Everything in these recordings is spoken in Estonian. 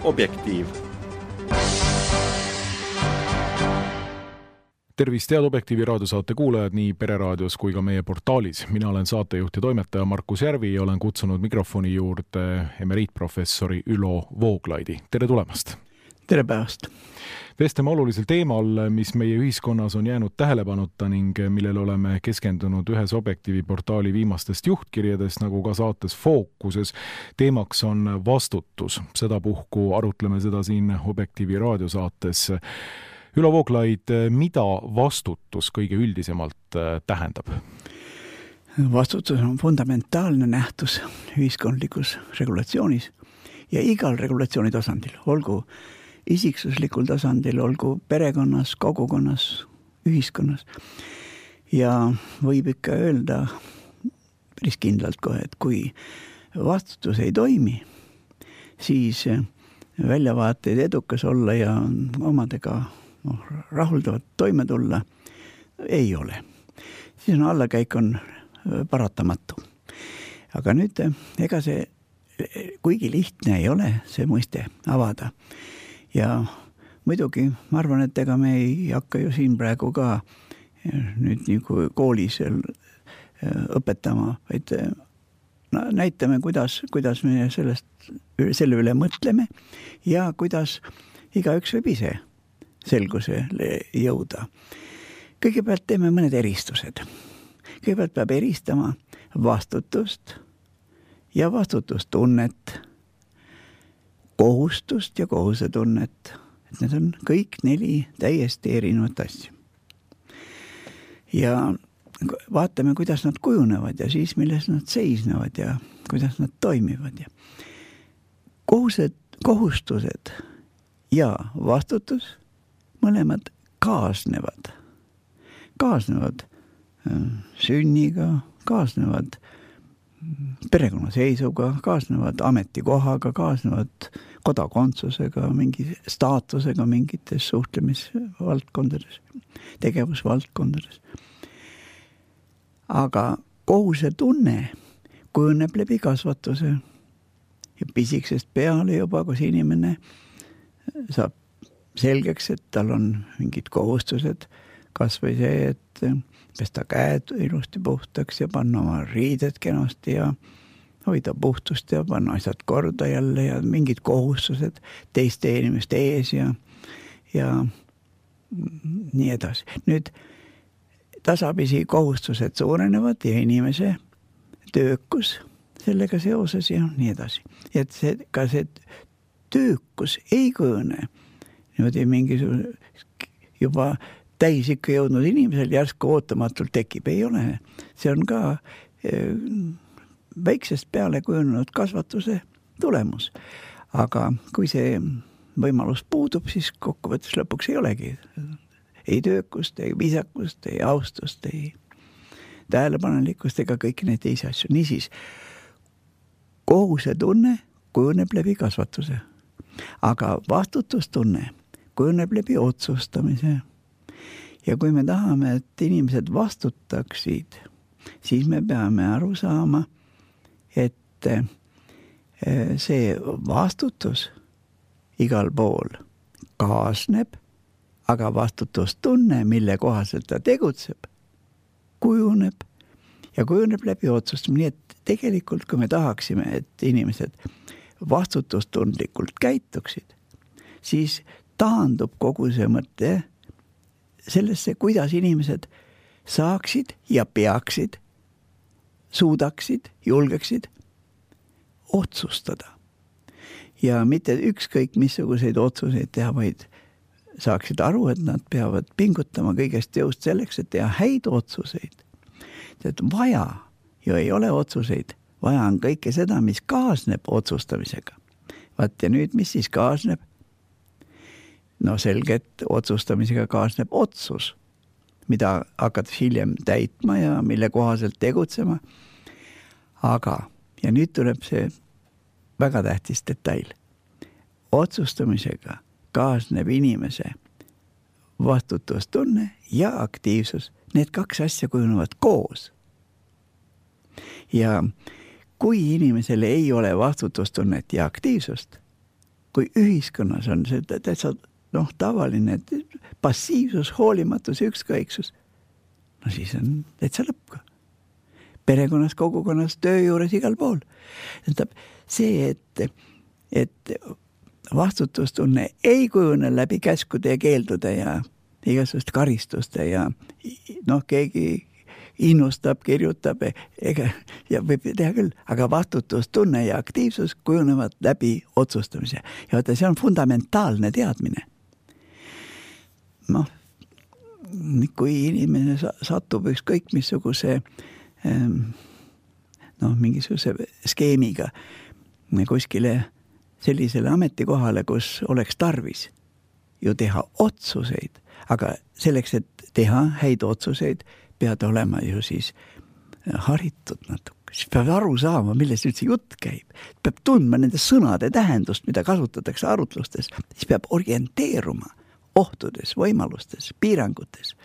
Objektiiv. Tervist, head Objektiivi raadiosaate kuulajad nii Pereraadios kui ka meie portaalis. Mina olen saatejuht ja toimetaja Markus Järvi ja olen kutsunud mikrofoni juurde emeriitprofessori Ülo Vooglaidi. Tere tulemast! Tere päevast! Vestleme olulisel teemal, mis meie ühiskonnas on jäänud tähelepanuta ning millele oleme keskendunud ühes Objektiivi portaali viimastest juhtkirjadest, nagu ka saates Fookuses. Teemaks on vastutus. Sedapuhku arutleme seda siin Objektiivi raadiosaates. Ülo Vooglaid, mida vastutus kõige üldisemalt tähendab? Vastutus on fundamentaalne nähtus ühiskondlikus regulatsioonis ja igal regulatsiooni tasandil, olgu isiksuslikul tasandil, olgu perekonnas, kogukonnas, ühiskonnas. Ja võib ikka öelda päris kindlalt kohe, et kui vastutus ei toimi, siis väljavaateid edukas olla ja omadega rahuldavat toime tulla ei ole. Siis on allakäik on paratamatu. Aga nüüd, ega see kuigi lihtne ei ole see mõiste avada. Ja muidugi, ma arvan, et ega me ei hakka ju siin praegu ka nüüd nagu koolis õpetama, vaid näitame, kuidas me selle üle mõtleme ja kuidas igaüks võib ise selgusele jõuda. Kõigepealt teeme mõned eristused. Kõigepealt peab eristama vastutust ja vastutustunnet, kohustust ja kohusetunnet. Et need on kõik 4 täiesti erinevat asju. Ja vaatame, kuidas nad kujunevad ja siis milles nad seisnevad ja kuidas nad toimivad. Ja kohustused ja vastutus mõlemad kaasnevad. Kaasnevad sünniga, kaasnevad perekonnaseisuga, kaasnevad ametikohaga, kaasnevad kodakondsusega, mingi staatusega mingites suhtlemisvaldkondades, tegevusvaldkondades. Aga kohusetunne kujuneb läbi kasvatuse ja pisiksest peale juba, kus inimene saab selgeks, et tal on mingid kohustused, kas või see, et pesta käed ilusti puhtaks ja panna oma riided kenasti ja hoida puhtust ja panna asjad korda jälle ja mingid kohustused teiste inimeste ees ja nii edasi. Nüüd tasapisi kohustused suurenevad ja inimese töökus sellega seoses ja nii edasi. Et ka see töökus ei kujune niimoodi mingisugune juba täis ikka jõudnud inimesel järsku ootamatult tekib. Ei ole. See on ka väiksest peale kujunenud kasvatuse tulemus. Aga kui see võimalus puudub, siis kokkuvõttes lõpuks ei olegi. Ei töökust, ei viisakust, ei austust, ei tähelepanelikkust ega kõiki neid teisi asju. Niisiis, kohusetunne kujuneb läbi kasvatuse. Aga vastutustunne kujuneb läbi otsustamise. Ja kui me tahame, et inimesed vastutaksid, siis me peame aru saama, et see vastutus igal pool kaasneb, aga vastutustunne, mille kohaselt ta tegutseb, kujuneb ja kujuneb läbi otsustamine. Nii et tegelikult, kui me tahaksime, et inimesed vastutustundlikult käituksid, siis taandub kogu see mõte sellesse, kuidas inimesed saaksid ja peaksid, suudaksid, julgeksid otsustada. Ja mitte ükskõik missuguseid otsuseid teha, vaid saaksid aru, et nad peavad pingutama kõigest jõust selleks, et teha häid otsuseid. Et vaja ju ei ole otsuseid, vaja on kõike seda, mis kaasneb otsustamisega. Vaat ja nüüd, mis siis kaasneb? No selgelt otsustamisega kaasneb otsus, mida hakkad hiljem täitma ja mille kohaselt tegutsema. Aga, ja nüüd tuleb see väga tähtis detail. Otsustamisega kaasneb inimese vastutustunne ja aktiivsus. Need 2 asja kujunevad koos. Ja kui inimesel ei ole vastutustunnet ja aktiivsust, kui ühiskonnas on see täitsa tavaline passiivsus, hoolimatus ja ükskõiksus, no siis on täitsa lõpp ka. Perekonnas, kogukonnas, töö juures, igal pool. See, et vastutustunne ei kujune läbi käskude ja keeldude ja igasugust karistuste ja keegi innustab, kirjutab ja võib teha küll, aga vastutustunne ja aktiivsus kujunevad läbi otsustamise. Ja vaata, see on fundamentaalne teadmine. Kui inimene satub ükskõik missuguse mingisuguse skeemiga kuskile sellisele ametikohale, kus oleks tarvis ju teha otsuseid, aga selleks, et teha häid otsuseid, pead olema ju siis haritud natuke. Siis peab aru saama, millest üldse jutt käib. Peab tundma nende sõnade tähendust, mida kasutatakse arutlustes. Siis peab orienteeruma ohtudes, võimalustes, piirangutes,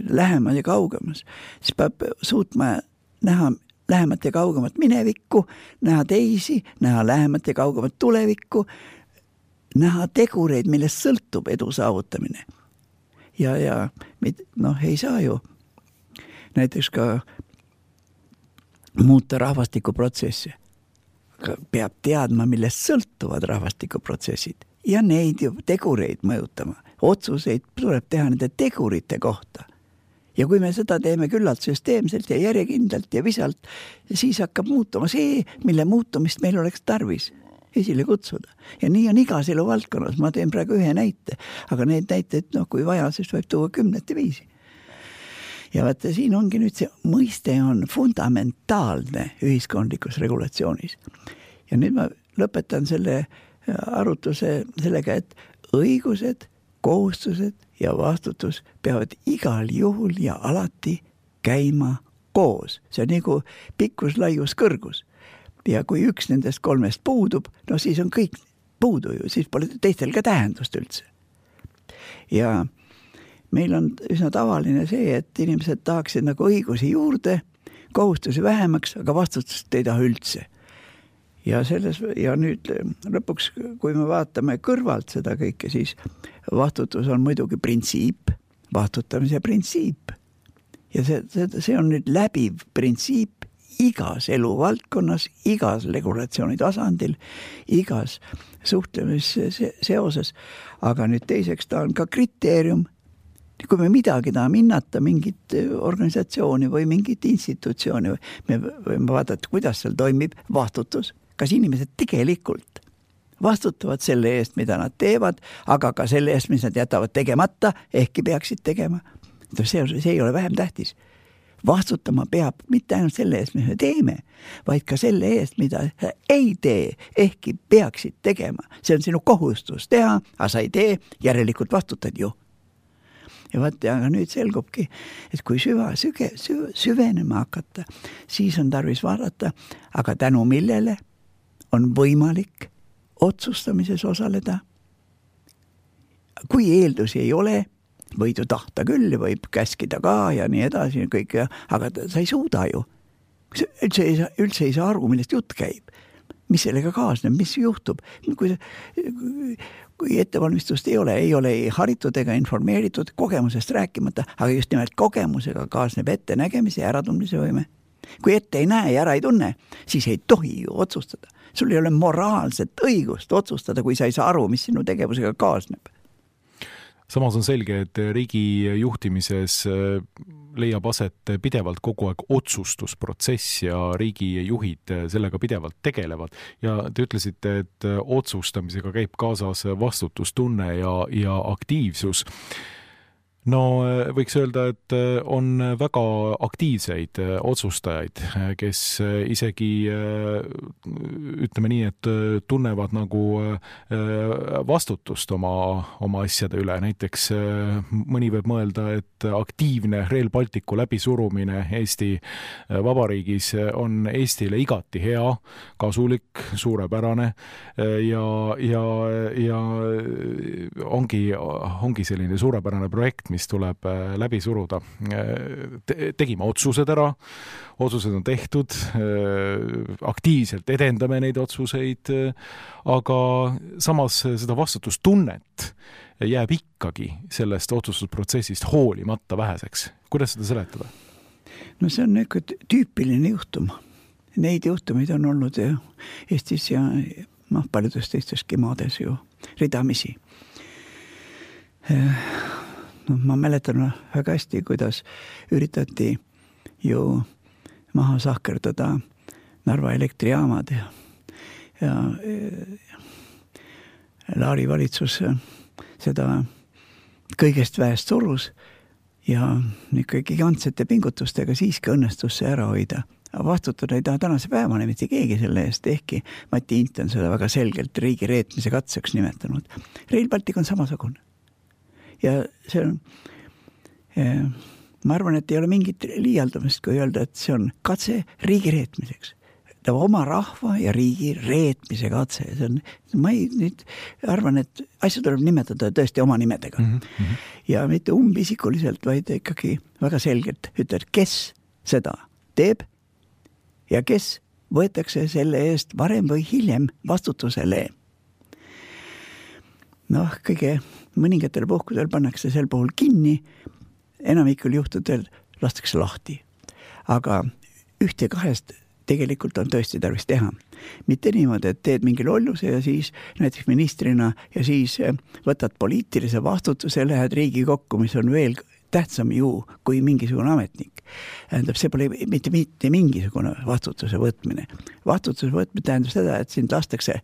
lähemal ja kaugemas. Siis peab suutma näha lähemat ja kaugemat minevikku, näha teisi, näha lähemat ja kaugemat tulevikku, näha tegureid, millest sõltub edu saavutamine. Ja ei saa ju näiteks ka muuta rahvastikuprotsessi. Peab teadma, millest sõltuvad rahvastikuprotsessid ja neid ju tegureid mõjutama. Otsuseid tuleb teha nende tegurite kohta. Ja kui me seda teeme küllalt süsteemselt ja järjekindlalt ja visalt, siis hakkab muutuma see, mille muutumist meil oleks tarvis esile kutsuda. Ja nii on igas elu valdkonnas. Ma teen praegu ühe näite, aga need näiteid, kui vaja, siis võib tuua 10 viisi. Ja vaata, siin ongi nüüd see mõiste on fundamentaalne ühiskondlikus regulatsioonis. Ja nüüd ma lõpetan selle arutluse sellega, et õigused, kohustused ja vastutus peavad igal juhul ja alati käima koos. See on nagu pikkus, laius, kõrgus. Ja kui üks nendest 3 puudub, siis on kõik puudu ju, siis pole teistel ka tähendust üldse. Ja meil on üsna tavaline see, et inimesed tahaksid nagu õigusi juurde, kohustusi vähemaks, aga vastutust ei taha üldse. Ja nüüd lõpuks, kui me vaatame kõrvalt seda kõike, siis vastutus on muidugi printsiip, vastutamise printsiip. Ja see on nüüd läbiv printsiip igas eluvaldkonnas, igas regulatsiooni tasandil, igas suhtlemisseoses. Aga nüüd teiseks ta on ka kriteerium. Kui me midagi tahame hinnata, mingit organisatsiooni või mingit institutsiooni, me võime vaadata, kuidas seal toimib vastutus. Kas inimesed tegelikult vastutavad selle eest, mida nad teevad, aga ka selle eest, mis nad jätavad tegemata, ehkki peaksid tegema. See ei ole vähem tähtis. Vastutama peab mitte ainult selle eest, mis me teeme, vaid ka selle eest, mida ei tee, ehkki peaksid tegema. See on sinu kohustus teha, aga sa ei tee, järelikult vastutad ju. Ja vaata, aga nüüd selgubki, et kui süvenema hakata, siis on tarvis vaadata, aga tänu millele on võimalik otsustamises osaleda. Kui eeldusi ei ole, võid ju tahta küll, võib käskida ka ja nii edasi, kõik, aga sa ei suuda ju. Üldse ei saa aru, millest jutt käib. Mis sellega kaasneb, mis juhtub. Kui ettevalmistust ei ole haritud ega informeeritud, kogemusest rääkimata, aga just nimelt kogemusega kaasneb ettenägemise ja äratundmise võime. Kui ette ei näe ja ära ei tunne, siis ei tohi ju otsustada. Sul ei ole moraalset õigust otsustada, kui sa ei saa aru, mis sinu tegevusega kaasneb. Samas on selge, et riigi juhtimises leiab aset pidevalt kogu aeg otsustusprotsess ja riigi juhid sellega pidevalt tegelevad. Ja te ütlesite, et otsustamisega käib kaasas vastutustunne ja aktiivsus. No võiks öelda, et on väga aktiivseid otsustajaid, kes isegi ütleme nii, et tunnevad nagu vastutust oma asjade üle. Näiteks mõni võib mõelda, et aktiivne Rail Balticu läbisurumine Eesti Vabariigis on Eestile igati hea, kasulik, suurepärane ja ongi selline suurepärane projekt, mis tuleb läbi suruda. Tegime otsused ära, otsused on tehtud, aktiivselt edendame neid otsuseid, aga samas seda vastutustunnet jääb ikkagi sellest otsustusprotsessist hoolimata väheseks. Kuidas seda seletada? No see on tüüpiline juhtum. Neid juhtumeid on olnud Eestis ja paljudes teisteski maades ju ridamisi. Ma mäletan väga hästi, kuidas üritati ju maha sahkerdada Narva elektrijaamad ja Laari valitsus seda kõigest väest surus ja ikkagi gigantsete pingutustega siiski õnnestus see ära hoida. Vastutada ei taha tänase päevane mitte keegi selle eest, ehkki Mati Int on seda väga selgelt riigi reetmise katseks nimetanud. Rail Baltic on samasugune. Ja see on, ma arvan, et ei ole mingit liialdamist, kui öelda, et see on katse riigi reetmiseks. Ta oma rahva ja riigi reetmise katse. See on, ma nüüd arvan, et asju tuleb nimetada tõesti oma nimedega. Ja mitte umbisikuliselt, vaid ikkagi väga selgelt ütled, kes seda teeb ja kes võetakse selle eest varem või hiljem vastutusele. Kõige mõningatel puhkudel pannakse sel puhul kinni, enamikul juhtudel lastakse lahti. Aga ühte kahest tegelikult on tõesti tarvis teha. Mitte niimoodi, et teed mingi lolluse ja siis näiteks ministrina ja siis võtad poliitilise vastutuse, lähed riigi kokku, mis on veel tähtsam ju kui mingisugune ametnik. Tähendab, see pole mitte mingisugune vastutuse võtmine. Vastutuse võtmine tähendab seda, et sind lastakse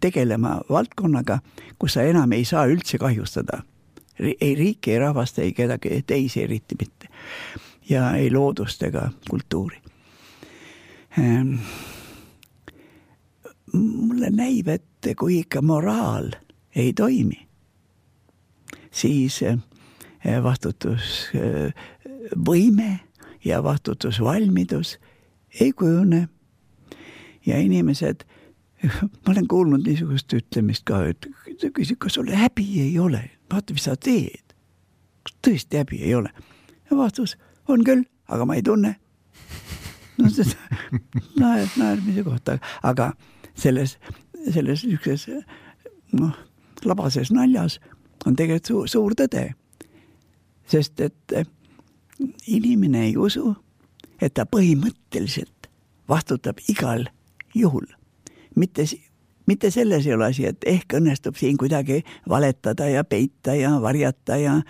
tegelema valdkonnaga, kus sa enam ei saa üldse kahjustada. Ei riiki, ei rahvast, ei kedagi teisi eriti mitte. Ja ei loodust ega kultuuri. Mulle näib, et kui ikka moraal ei toimi, siis vastutusvõime ja vastutusvalmidus ei kujune. Ja inimesed, ma olen kuulnud niisugust ütlemist ka, et küsid, kas sul häbi ei ole? Vaata, mis sa teed. Tõesti häbi ei ole. Ja vastus on küll, aga ma ei tunne. Naermise kohta. Aga selles ükses labases naljas on tegelikult suur tõde. Sest et inimene ei usu, et ta põhimõtteliselt vastutab igal juhul. Mitte selles ei ole asi, et ehk õnnestub siin kuidagi valetada ja peita ja varjata ja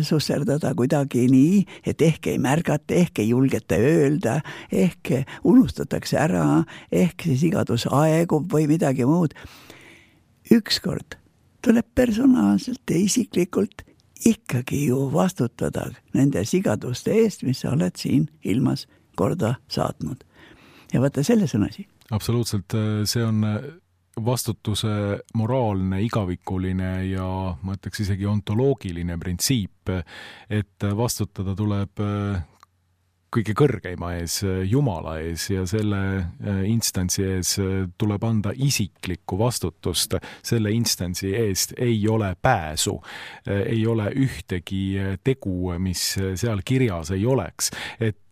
susserdada kuidagi nii, et ehk ei märgata, ehk ei julgeta öelda, ehk unustatakse ära, ehk see sigadus aegub või midagi muud. Ükskord tuleb personaalselt ja isiklikult ikkagi ju vastutada nende sigaduste eest, mis sa oled siin ilmas korda saatnud. Ja vaata, selles on asi. Absoluutselt, see on vastutuse moraalne, igavikuline ja ma ütleks isegi ontoloogiline printsiip, et vastutada tuleb kõige kõrgeima ees, Jumala ees ja selle instantsi ees tuleb anda isiklikku vastutust. Selle instantsi eest ei ole pääsu, ei ole ühtegi tegu, mis seal kirjas ei oleks. Et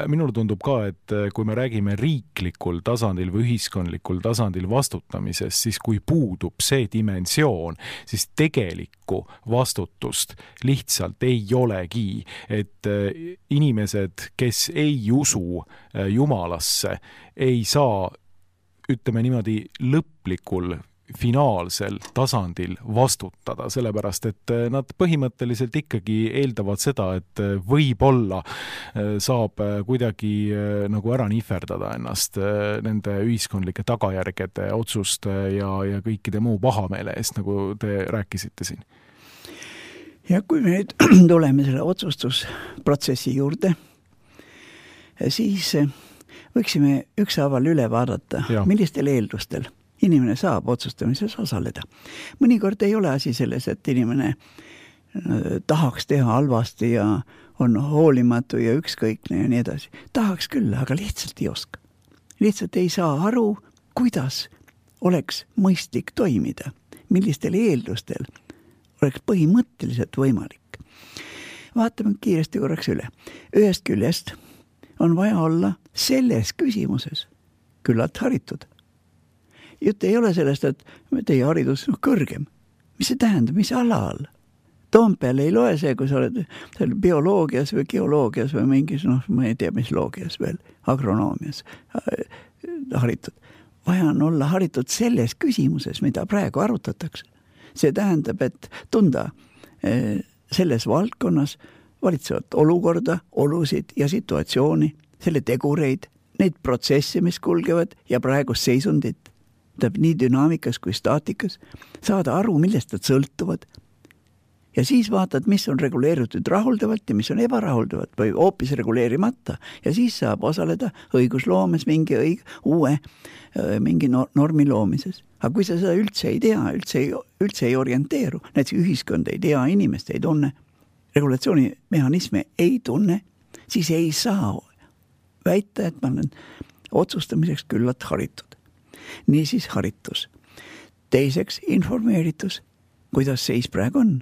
minule tundub ka, et kui me räägime riiklikul tasandil või ühiskondlikul tasandil vastutamisest, siis kui puudub see dimensioon, siis tegelikku vastutust lihtsalt ei olegi. Et inimesed, kes ei usu Jumalasse, ei saa, ütleme niimoodi, lõplikul finaalsel tasandil vastutada, sellepärast et nad põhimõtteliselt ikkagi eeldavad seda, et võib-olla saab kuidagi nagu ära nihverdada ennast nende ühiskondlike tagajärgede, otsuste ja kõikide muu pahameele eest, nagu te rääkisite siin. Ja kui me nüüd tuleme selle otsustusprotsessi juurde, siis võiksime ükshaaval üle vaadata, millistel eeldustel inimene saab otsustamises osaleda. Mõnikord ei ole asi selles, et inimene tahaks teha halvasti ja on hoolimatu ja ükskõikne ja nii edasi. Tahaks küll, aga lihtsalt ei oska. Lihtsalt ei saa aru, kuidas oleks mõistlik toimida, millistel eeldustel oleks põhimõtteliselt võimalik. Vaatame kiiresti korraks üle. Ühest küljest on vaja olla selles küsimuses küllalt haritud. Jutt ei ole sellest, et teie haridus kõrgem. Mis see tähendab, mis alal? Toompeal ei loe see, kui sa oled seal bioloogias või geoloogias või mingis, ma ei tea, mis loogias veel, agronoomias haritud. Vaja on olla haritud selles küsimuses, mida praegu arutatakse. See tähendab, et tunda selles valdkonnas valitsevat olukorda, olusid ja situatsiooni, selle tegureid, neid protsesse, mis kulgevad ja praegust seisundit, nii dünaamikas kui staatikas, saada aru, millest nad sõltuvad. Ja siis vaatad, mis on reguleeritud rahuldavalt ja mis on ebarahuldavalt või hoopis reguleerimata. Ja siis saab osaleda õigusloomes mingi normi loomises. Aga kui sa seda üldse ei tea, üldse ei orienteeru, näiteks ühiskond ei tea, inimest ei tunne, regulatsioonimehhanisme ei tunne, siis ei saa väita, et ma olen otsustamiseks küllalt haritud. Niisiis haritus. Teiseks informeeritus, kuidas seis praegu on.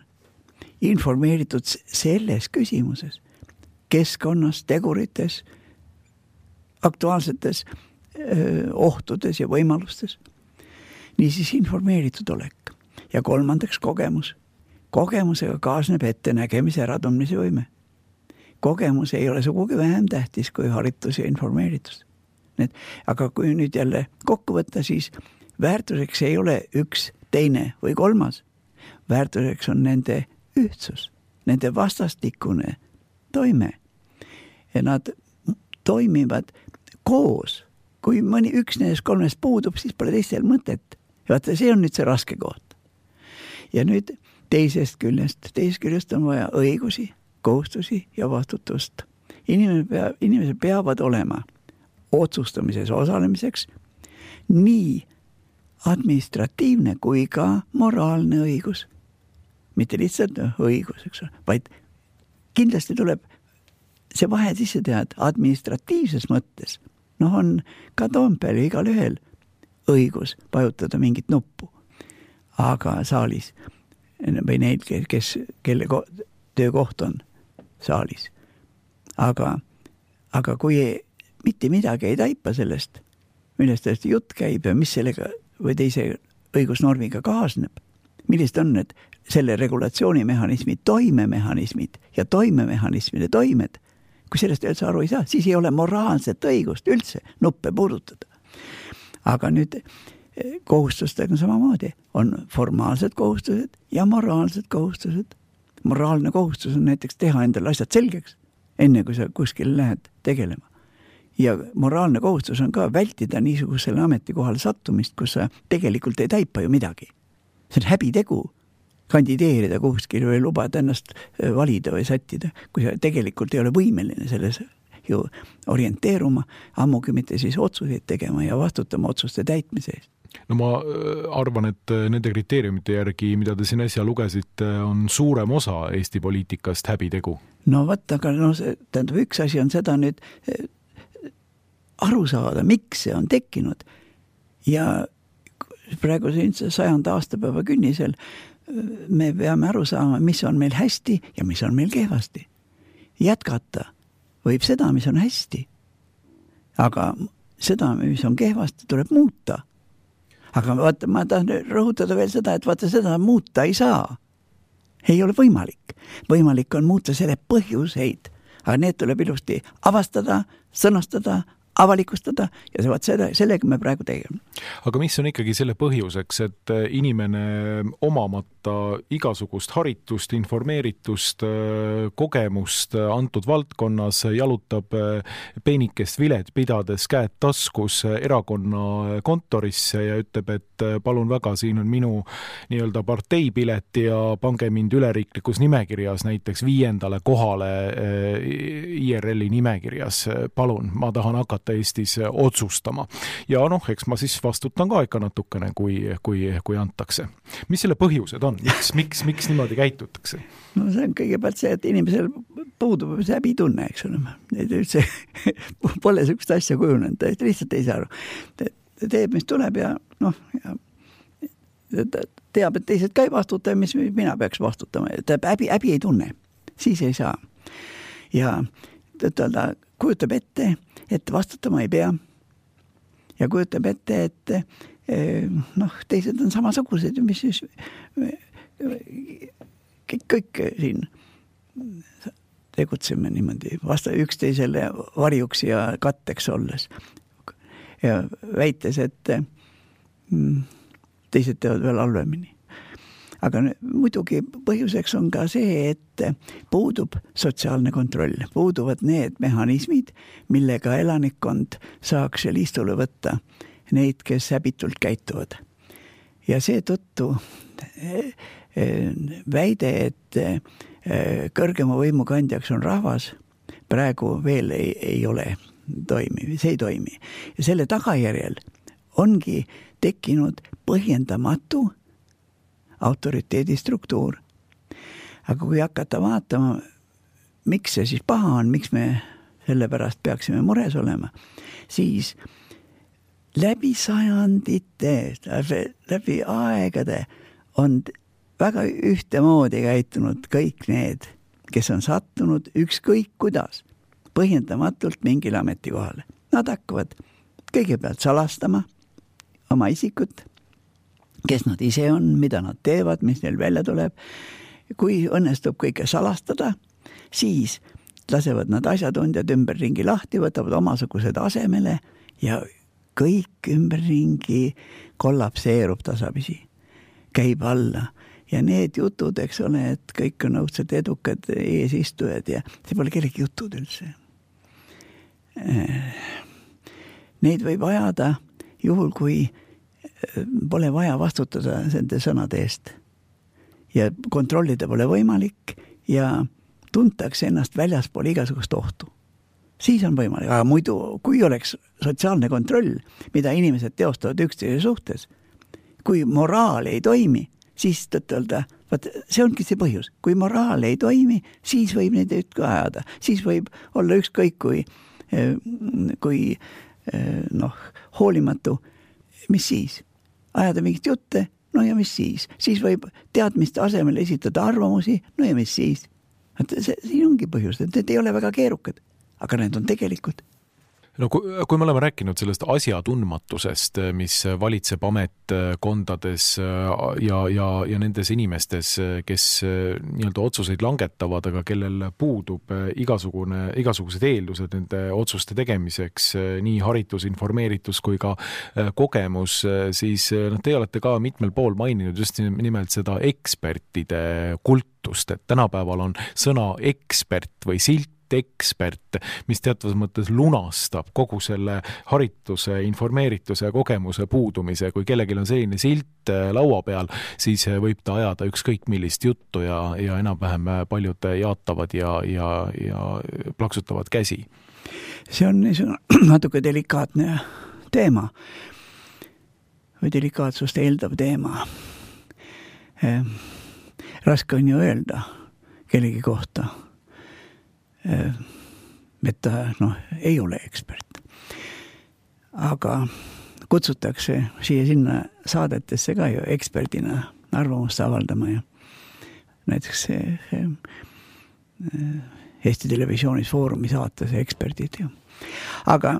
Informeeritud selles küsimuses, keskkonnas, tegurites, aktuaalsetes ohtudes ja võimalustes. Niisiis informeeritud olek. Ja kolmandaks kogemus. Kogemusega kaasneb ettenägemise äratundmise võime. Kogemus ei ole sugugi vähem tähtis kui haritus ja informeeritus. Aga kui nüüd jälle kokku võtta, siis väärtuseks ei ole üks, teine või kolmas. Väärtuseks on nende ühtsus, nende vastastikune toime. Ja nad toimivad koos. Kui mõni üks nendest kolmest puudub, siis pole teistel mõtet. Ja vaata, see on nüüd see raske koht. Ja nüüd teisest küljest on vaja õigusi, kohustusi ja vastutust. Inimesed peavad olema otsustamises osalemiseks nii administratiivne kui ka moraalne õigus. Mitte lihtsalt õigus, eks ole, vaid kindlasti tuleb see vahe sisse teha, et administratiivses mõttes on ka Toompeal ja igal ühel õigus vajutada mingit nuppu. Aga saalis või neid, kelle töökoht on saalis. Aga kui mitte midagi ei taipa sellest, millest jutt käib ja mis sellega või teise õigusnormiga kaasneb, millised on need selle regulatsioonimehhanismi toimemehhanismid ja toimemehhanismide toimed, kui sellest üldse aru ei saa, siis ei ole moraalset õigust üldse nuppe puudutada. Aga nüüd kohustustega samamoodi on formaalsed kohustused ja moraalsed kohustused. Moraalne kohustus on näiteks teha endale asjad selgeks, enne kui sa kuskil lähed tegelema. Ja moraalne kohustus on ka vältida niisugusele ametikohale sattumist, kus sa tegelikult ei taipa ju midagi. See on häbitegu kandideerida kuskil või lubada ennast valida või sättida, kui sa tegelikult ei ole võimeline selles ju orienteeruma, ammugi mitte siis otsuseid tegema ja vastutama otsuste täitmise eest. No ma arvan, et nende kriteeriumite järgi, mida te siin äsja lugesite, on suurem osa Eesti poliitikast häbitegu. No võtta, aga tähendab, üks asi on seda nüüd aru saada, miks see on tekkinud. Ja praegu 100. aastapäeva künnisel me peame aru saama, mis on meil hästi ja mis on meil kehvasti. Jätkata võib seda, mis on hästi. Aga seda, mis on kehvasti, tuleb muuta. Aga vaata, ma tahan rõhutada veel seda, et vaata, seda muuta ei saa. Ei ole võimalik. Võimalik on muuta selle põhjuseid, aga need tuleb ilusti avastada, sõnastada, avalikustada ja sellega me praegu tegeme. Aga mis on ikkagi selle põhjuseks, et inimene omamata igasugust haritust, informeeritust, kogemust antud valdkonnas jalutab peenikest vilet pidades käed taskus erakonna kontorisse ja ütleb, et palun väga, siin on minu nii-öelda parteipilet ja pange mind üleriiklikus nimekirjas näiteks 5. kohale IRL-i nimekirjas. Palun, ma tahan hakata Eestis otsustama. Ja eks ma siis vastutan ka ikka natukene, kui antakse. Mis selle põhjused on? Miks niimoodi käitutakse? No see on kõigepealt see, et inimesel puudub see häbitunne, eks ole. Üldse pole sellist asja kujunenud, lihtsalt ei saa aru. Teeb, mis tuleb ja teab, et teised ka ei vastuta, mis mina peaks vastutama. Häbi ei tunne. siis ei saa. Ja ta kujutab ette, et vastutama ei pea. Ja kujutab ette, et teised on samasugused, mis siis kõik siin tegutseme niimoodi üksteisele varjuks ja katteks olles. Ja väites, et teised teevad veel halvemini. Aga muidugi põhjuseks on ka see, et puudub sotsiaalne kontroll. Puuduvad need mehhanismid, millega elanikkond saaks liistule võtta neid, kes häbitult käituvad. Ja seetõttu väide, et kõrgema võimu kandjaks on rahvas, praegu veel ei ole toimiv, see ei toimi. Ja selle tagajärjel ongi tekkinud põhjendamatu autoriteedi struktuur. Aga kui hakata vaatama, miks see siis paha on, miks me selle pärast peaksime mures olema, siis läbi sajandite, läbi aegade on väga ühtemoodi käitunud kõik need, kes on sattunud ükskõik kuidas põhjendamatult mingile ametikohale. Nad hakkavad kõigepealt salastama oma isikut, kes nad ise on, mida nad teevad, mis neil välja tuleb. Kui õnnestub kõike salastada, siis lasevad nad asjatundjad ümberringi lahti, võtavad omasugused asemele ja kõik ümberringi kollapseerub tasapisi, käib alla. Ja need jutud, eks ole, et kõik on õudselt edukad eesistujad ja see pole kellegi jutud üldse. Neid võib ajada juhul, kui pole vaja vastutada nende sõnade eest. Ja kontrollida pole võimalik ja tuntakse ennast väljaspool igasugust ohtu. Siis on võimalik, aga muidu, kui oleks sotsiaalne kontroll, mida inimesed teostavad üksteise suhtes, kui moraal ei toimi, siis tõttelda, see ongi see põhjus. Kui moraal ei toimi, siis võib neid ka ajada. Siis võib olla ükskõik kui hoolimatu. Mis siis? Ajada mingit jutte? No ja mis siis? Siis võib teadmiste asemel esitada arvamusi? No ja mis siis? Siin ongi põhjus, et need ei ole väga keerukad, aga need on tegelikult. No kui me oleme rääkinud sellest asjatundmatusest, mis valitseb ametkondades ja nendes inimestes, kes nii-öelda otsuseid langetavad, aga kellel puudub igasugused eeldused nende otsuste tegemiseks, nii haritus, informeeritus kui ka kogemus, siis te olete ka mitmel pool maininud just nimelt seda ekspertide kultust, et tänapäeval on sõna ekspert või silt ekspert, mis teatavas mõttes lunastab kogu selle harituse, informeerituse ja kogemuse puudumise. Kui kellelgi on selline silt laua peal, siis võib ta ajada ükskõik millist juttu ja enam-vähem paljud jaatavad ja plaksutavad käsi. See on natuke delikaatne teema või delikaatsust eeldav teema. Raske on ju öelda kellegi kohta, et ta ei ole ekspert. Aga kutsutakse siia-sinna saadetesse ka ju eksperdina arvamust avaldama ja näiteks Eesti Televisioonis Foorumi saates eksperdid ju. Aga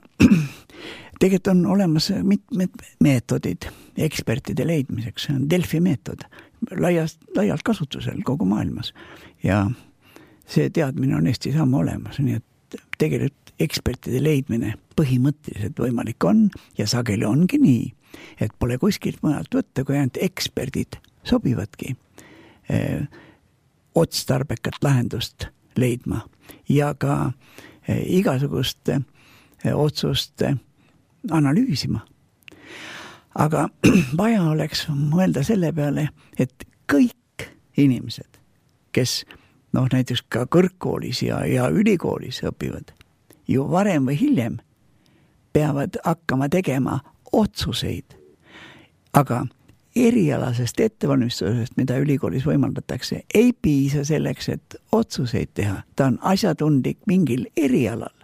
tegelikult on olemas mitmed meetodid ekspertide leidmiseks. See on Delfi meetod, laialt kasutusel kogu maailmas ja see teadmine on Eestis ammu olemas, nii et tegelikult ekspertide leidmine põhimõtteliselt võimalik on ja sageli ongi nii, et pole kuskilt mõnelt võtta, kui ainult eksperdid sobivadki otstarbekat lahendust leidma ja ka igasuguste otsuste analüüsima. Aga vaja oleks mõelda selle peale, et kõik inimesed, kes näiteks ka kõrgkoolis ja ülikoolis õpivad, ju varem või hiljem peavad hakkama tegema otsuseid. Aga erialasest ettevalmistusest, mida ülikoolis võimaldatakse, ei piisa selleks, et otsuseid teha. Ta on asjatundlik mingil erialal.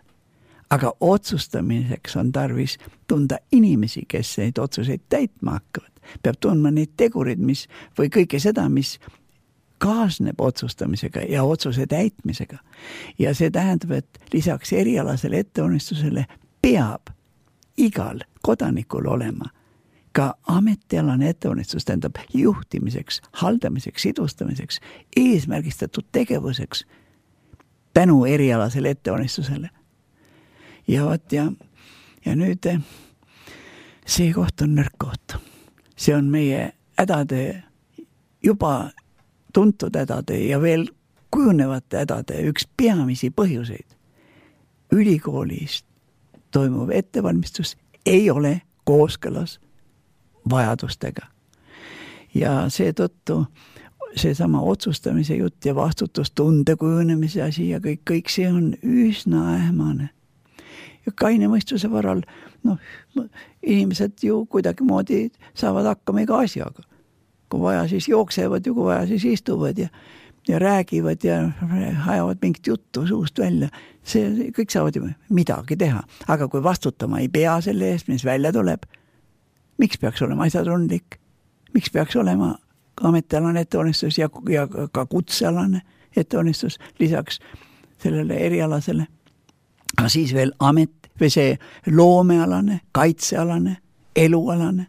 Aga otsustamiseks on tarvis tunda inimesi, kes neid otsuseid täitma hakkavad. Peab tundma neid tegurid, või kõike seda, mis kaasneb otsustamisega ja otsuse täitmisega. Ja see tähendab, et lisaks erialasele ettevalmistusele peab igal kodanikul olema ka ametialane ettevalmistus, tähendab juhtimiseks, haldamiseks, sidustamiseks, eesmärgistatud tegevuseks tänu erialasele ettevalmistusele. Ja vaat ja nüüd see koht on nõrk koht. See on meie hädade, juba tuntud hädade ja veel kujunevate hädade üks peamisi põhjuseid. Ülikoolis toimuv ettevalmistus ei ole kooskõlas vajadustega. Ja seetõttu seesama otsustamise jutt ja vastutustunde kujunemise asi ja kõik see on üsna ähmane. Ja kaine mõistuse varal, inimesed ju kuidagi moodi saavad hakkama iga asjaga. Kui vaja, siis jooksevad ja kui vaja, siis istuvad ja räägivad ja ajavad mingit juttu suust välja. See kõik saavad ju midagi teha. Aga kui vastutama ei pea selle eest, mis välja tuleb, miks peaks olema asjatundlik? Miks peaks olema ametialane ettevalmistus ja ka kutsealane ettevalmistus lisaks sellele erialasele? Aga siis veel amet või see loomealane, kaitsealane, elualane.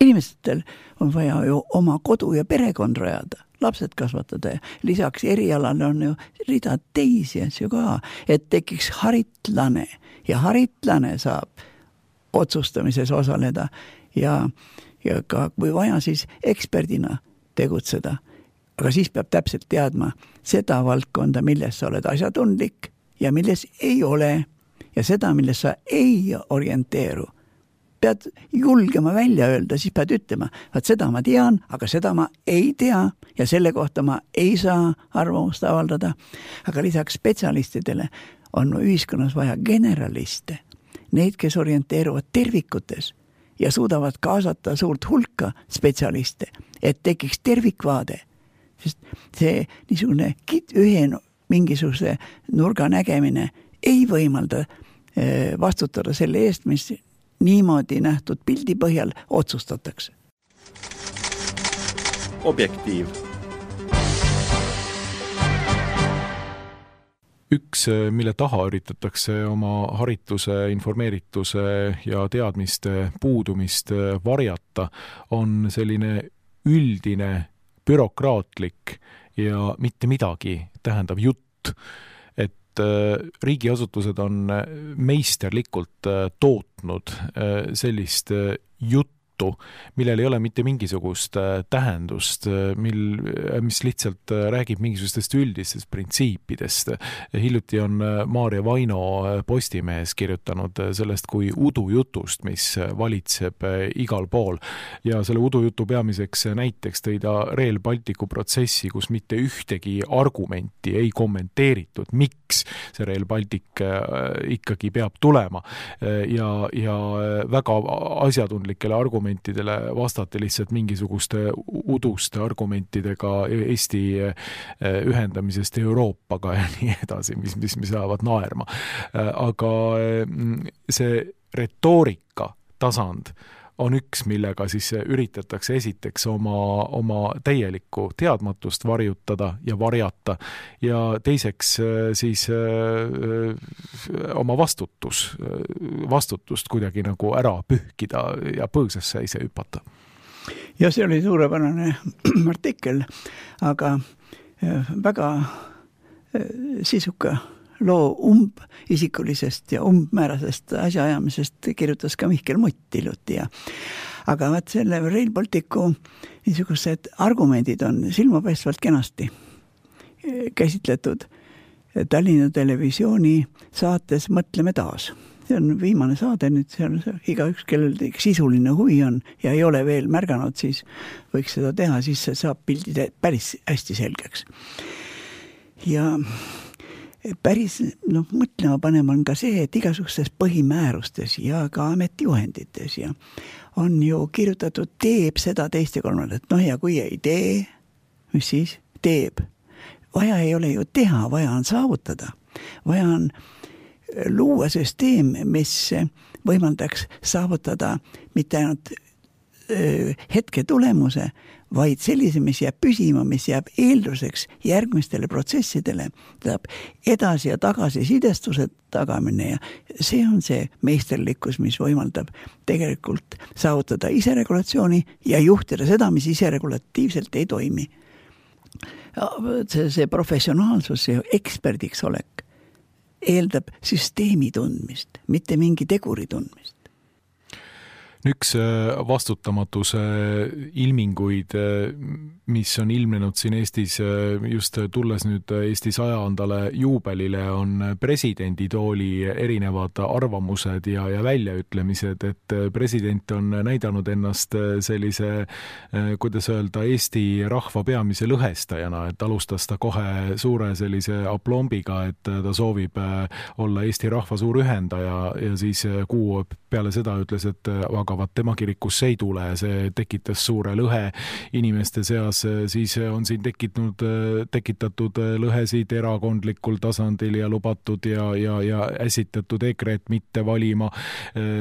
Inimestel on vaja ju oma kodu ja perekond rajada, lapsed kasvatada ja lisaks erialane on ju rida teisi asju ka, et tekiks haritlane ja haritlane saab otsustamises osaleda ja ka kui vaja siis eksperdina tegutseda. Aga siis peab täpselt teadma seda valdkonda, milles sa oled asjatundlik ja milles ei ole ja seda, milles sa ei orienteeru. Pead julgema välja öelda, siis pead ütlema, et seda ma tean, aga seda ma ei tea ja selle kohta ma ei saa arvamust avaldada. Aga lisaks spetsialistidele on ühiskonnas vaja generaliste, neid, kes orienteeruvad tervikutes ja suudavad kaasata suurt hulka spetsialiste, et tekiks tervikvaade. Sest see niisugune ühe mingisuguse nurga nägemine ei võimalda vastutada selle eest, mis niimoodi nähtud pildi põhjal otsustatakse. Objektiiv. Üks, mille taha üritatakse oma harituse, informeerituse ja teadmiste puudumist varjata, on selline üldine bürokraatlik ja mitte midagi tähendav jutt, et riigiasutused on meisterlikult tootnud sellist juttu, millel ei ole mitte mingisugust tähendust, mis lihtsalt räägib mingisugustest üldistest printsiipidest. Hiljuti on Maarja Vaino Postimehes kirjutanud sellest kui udujutust, mis valitseb igal pool. Ja selle udujutu peamiseks näiteks tõi ta Rail Balticu protsessi, kus mitte ühtegi argumenti ei kommenteeritud, miks see Rail Baltic ikkagi peab tulema. Ja väga asjatundlikele argumentidele vastati lihtsalt mingisuguste uduste argumentidega Eesti ühendamisest Euroopaga ja nii edasi, mis ajavad naerma. Aga see retoorika tasand on üks, millega siis üritatakse esiteks oma täielikku teadmatust varjutada ja varjata ja teiseks siis oma vastutust kuidagi nagu ära pühkida ja põõsasse ise hüpata. Ja see oli suurepärane artikkel, aga väga sisuka loo umbisikulisest ja umbmäärasest asjaajamisest kirjutas ka Mihkel Mutt hiljuti. Aga vaat selle Rail Balticu niisugused argumendid on silmapaistvalt kenasti käsitletud Tallinna Televisiooni saates Mõtleme taas. See on viimane saade, nüüd seal igaüks, kellel sisuline huvi on ja ei ole veel märganud, siis võiks seda teha, siis see saab pildid päris hästi selgeks. Ja päris mõtlema panema on ka see, et igasugustes põhimäärustes ja ka ametijuhendites ja on ju kirjutatud teeb seda teist ja kolmandat. Ja kui ei tee, mis siis teeb? Vaja ei ole ju teha, vaja on saavutada. Vaja on luua süsteem, mis võimaldaks saavutada mitte ainult hetke tulemuse, vaid sellise, mis jääb püsima, mis jääb eelduseks järgmistele protsessidele, tähendab edasi ja tagasi sidestuse tagamine ja see on see meisterlikkus, mis võimaldab tegelikult saavutada iseregulatsiooni ja juhtida seda, mis iseregulatiivselt ei toimi. See professionaalsus, see eksperdiks olek eeldab süsteemi tundmist, mitte mingi teguri tundmist. Üks vastutamatuse ilminguid, mis on ilmnenud siin Eestis, just tulles nüüd Eesti 100. juubelile, on presidenditooli erinevad arvamused ja väljaütlemised, et president on näidanud ennast sellise, kuidas öelda, Eesti rahva peamise lõhestajana, et alustas ta kohe suure sellise aplombiga, et ta soovib olla Eesti rahva suur ühendaja ja siis kuu peale seda ütles, et aga tema kirikusse ei tule, see tekitas suure lõhe inimeste seas, siis on siin tekitatud lõhesid erakondlikul tasandil ja lubatud ja äsitatud EKRE-t mitte valima,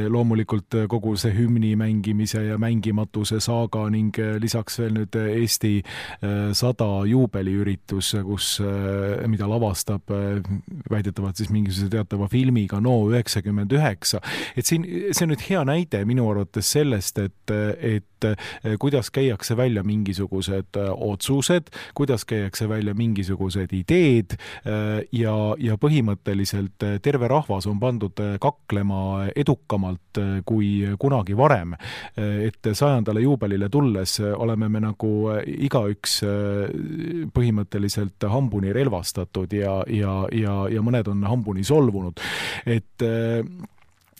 loomulikult kogu see hümni mängimise ja mängimatuse saaga ning lisaks veel nüüd Eesti 100 juubeliüritus, mida lavastab väidetavalt siis mingisuguse teatava filmiga No 99, et siin see on nüüd hea näide minu arvates sellest, et kuidas käiakse välja mingisugused otsused, kuidas käiakse välja mingisugused ideed ja põhimõtteliselt terve rahvas on pandud kaklema edukamalt kui kunagi varem. Et 100. juubelile tulles oleme me nagu igaüks põhimõtteliselt hambuni relvastatud ja mõned on hambuni solvunud. Et